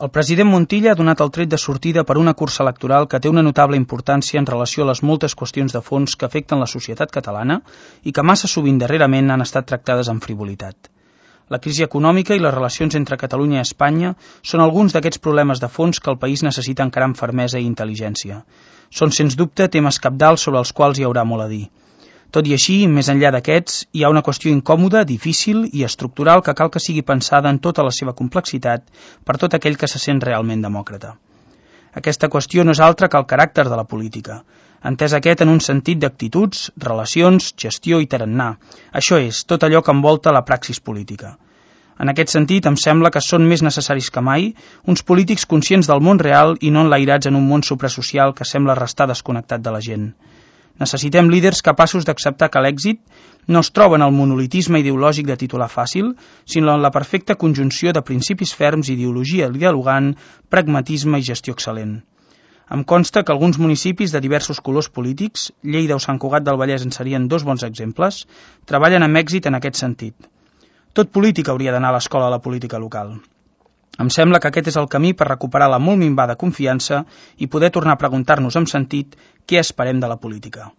El president Montilla ha donat el tret de sortida per una cursa electoral que té una notable importància en relació a les moltes qüestions de fons que afecten la societat catalana i que massa sovint darrerament han estat tractades amb frivolitat. La crisi econòmica i les relacions entre Catalunya i Espanya són alguns d'aquests problemes de fons que el país necessita encarar amb fermesa i intel·ligència. Són, sens dubte, temes cabdals sobre els quals hi haurà molt a dir. Tot i així, més enllà d'aquests, hi ha una qüestió incòmoda, difícil i estructural que cal que sigui pensada en tota la seva complexitat per tot aquell que se sent realment demòcrata. Aquesta qüestió no és altra que el caràcter de la política, entès aquest en un sentit d'actituds, relacions, gestió i tarannà. Això és, tot allò que envolta la praxis política. En aquest sentit, em sembla que són més necessaris que mai uns polítics conscients del món real i no enlairats en un món suprasocial que sembla restar desconnectat de la gent. Necessitem líders capaços d'acceptar que l'èxit no es troba en el monolitisme ideològic de titular fàcil, sinó en la perfecta conjunció de principis ferms, ideologia dialogant, pragmatisme i gestió excel·lent. Em consta que alguns municipis de diversos colors polítics, Lleida o Sant Cugat del Vallès en serien dos bons exemples, treballen amb èxit en aquest sentit. Tot polític hauria d'anar a l'escola de la política local. Em sembla que aquest és el camí per recuperar la molt minvada confiança i poder tornar a preguntar-nos amb sentit què esperem de la política.